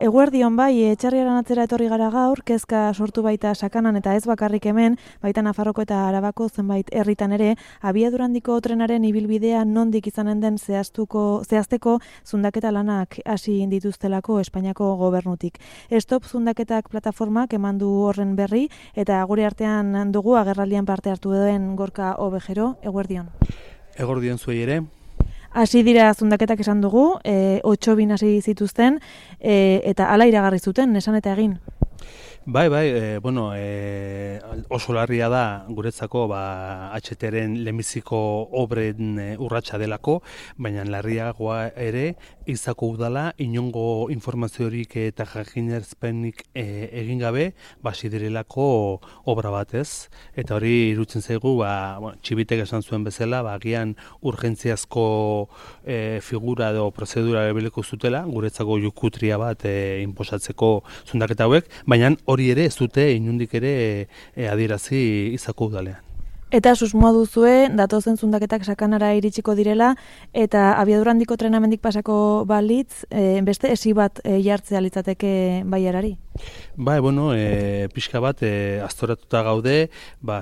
Eguerdion bai, Etxarriaren atzera etorri gara gaur, kezka sortu baita Sakanan eta ez bakarrik hemen, baita Nafarroko eta Arabako zenbait herritan ere, abiadurandiko trenaren ibilbidea nondik izanen den zehazteko zundaketa lanak hasi dituztelako Espainiako gobernutik. Stop Zundaketak plataformak eman du horren berri, eta gure artean dugu agerraldian parte hartu duen Gorka Obejero. Eguerdion. Eguerdion zuei ere. Hasi dira zundaketak esan dugu, 8 hasi zituzten, eta hala iragarri zuten, esan eta egin. Bai, oso larria da guretzako HTren lehenbiziko obren urratsa delako, baina larriagoa ere izako udala inongo informaziorik eta jakinerzpenik egin gabe basi direlako obra batez. Eta hori irutzen zaigu, txibitek esan zuen bezala, agian urgentziazko figura edo prozedura erabiliko zutela, guretzako jukutria bat inposatzeko zundaketa hauek, baina hori ere ez dute inundik ere adierazi izako udalean. Eta susmoa duzue, datozen zundaketak Sakanara iritsiko direla, eta abiadurandiko trenamendik pasako balitz, beste esi bat jartzea litzateke baiarari? Pixka bat aztoratuta gaude,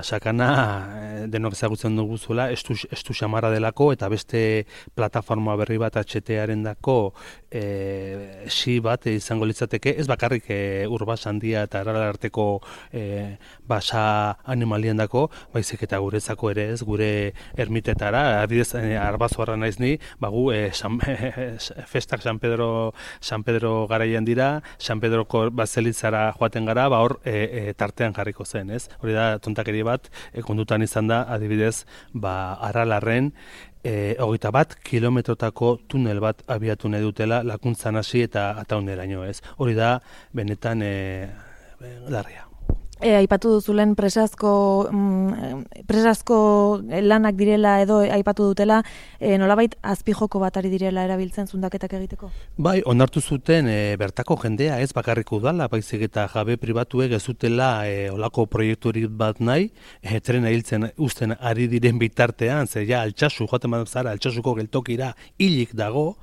Sakana denok ezagutzen dugu zuela, estu xamarra delako, eta beste plataforma berri bat HTaren dako esi bat izango litzateke, ez bakarrik urbaz handia eta aralarteko basa animalien dako, baizik eta guretzako ere ez, gure ermitetara, adidez, arbazoarra naiz ni, festak San Pedro garaian dira, San Pedroko bazelitzara joaten gara, hor tartean jarriko zen, ez? Hori da, tontakeri bat, kondutan izan da, adibidez, Aralarren, 21 kilometrotako tunel bat abiatu nahi dutela, lakuntzan hasi eta atauneraino, ez? Hori da, benetan larria. Aipatu duzulen presazko lanak direla edo aipatu dutela, nolabait azpijoko bat ari direla erabiltzen zundaketak egiteko? Bai, onartu zuten bertako jendea ez bakarrik udala, baizik eta jabe pribatuek ez zutela olako proiekturik bat nahi, trena hiltzen uzten ari diren bitartean, zer ja Altsasu, joaten bat zara, Altsasuko geltokira hilik dago,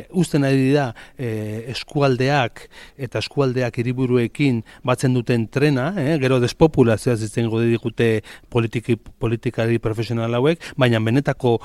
uzten ari dira eskualdeak eta eskualdeak hiriburuekin batzen duten trena, gero despopulazioa izango digute politikari profesional hauek, baina benetako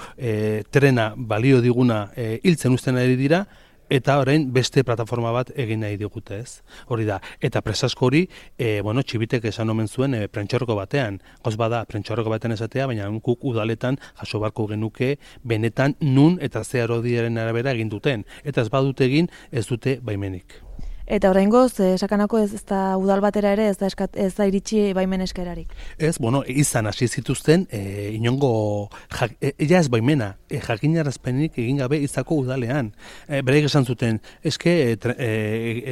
trena balio diguna hiltzen uzten ari dira, eta orain beste plataforma bat egin nahi digute, ez? Hori da. Eta presasko hori, txibitek esan omen zuen prentxorroko batean. Gauz bada, prentxorroko batean esatea, baina guk udaletan jaso barko genuke benetan nun eta ze araudiaren arabera egin duten. Eta ez badute egin, ez dute baimenik. Eta oraingoz, Sakanako ez da udal batera ere ez da iritsi baimen eskerarik. Ez, izan hasi zituzten inongo ez baimena, jakinarazpenik egin gabe izako udalean. Beraiek esan zuten,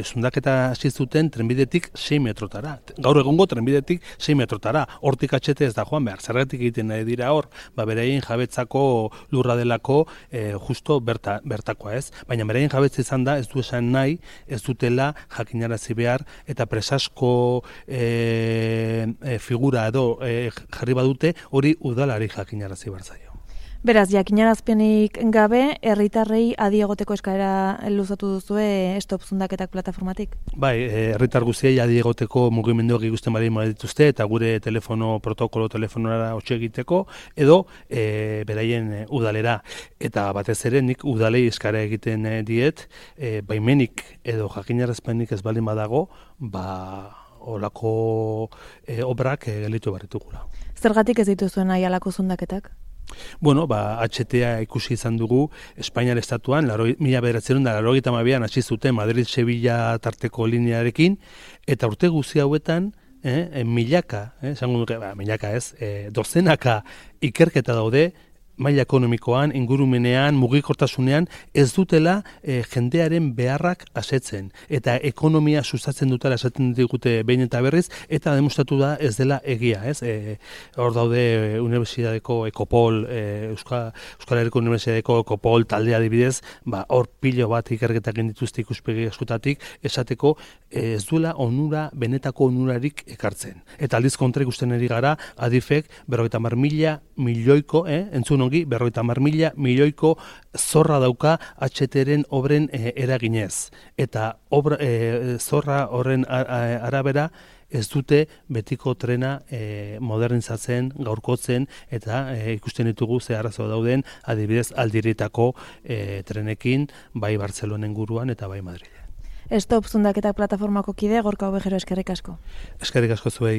zundaketa hasi zuten trenbidetik 6 metrotara. Gaur egungo trenbidetik 6 metrotara. Hortik HT ez da joan behar. Zergatik egiten nahi dira hor, beraien jabetzako lurra delako justo bertakoa, ez? Baina beraien jabetza izan da, ez du esan nahi, ez dutela jakinarazi behar, eta presasko figura edo jarri badute, hori udalari jakinarazi behar zaio. Beraz, jakinarazpenik gabe, herritarrei adi egoteko eskaera luzatu duzue Stop Zundaketak plataformatik? Bai, herritar guztiei adi egoteko mugimenduak ikusten bali dituzte, eta gure telefonora hotxe egiteko, edo beraien udalera. Eta batez ere, nik udalei eskara egiten diet, baimenik edo jakinarazpenik ez baldin badago, olako obrak gelitu barritugula. Zergatik ez dituzuen nahi halako zundaketak? HTA ikusi izan dugu Espainiar estatuan, 1982an hasi zuten Madrid-Sevilla tarteko linearekin, eta urte guzti hauetan, milaka, dozenaka ikerketa daude, maila ekonomikoan, ingurumenean, mugikortasunean, ez dutela jendearen beharrak asetzen. Eta ekonomia sustatzen dutela esaten digute behin eta berriz, eta demostratu da ez dela egia, ez? Hor daude Unibertsitateko Ekopol, Euskal Herriko Unibertsitateko Ekopol taldea adibidez, hor pilo bat ikerketak dituzte ikuspegi askotatik, esateko ez duela benetako onurarik ekartzen. Eta aldiz kontra ikusten ari gara, adifek, 50.000 milioiko, entzun ongi 50.000 milioiko zorra dauka HT-ren obren eraginez. Eta zorra horren arabera ez dute betiko trena modernizatzen, gaurkotzen, eta ikusten ditugu ze arazo dauden, adibidez aldiritako trenekin, bai Bartzelonen guruan eta bai Madrilen. Stop Zundaketak plataformako kide, Gorka Ovejero, eskerrik asko. Eskerrik asko zuei.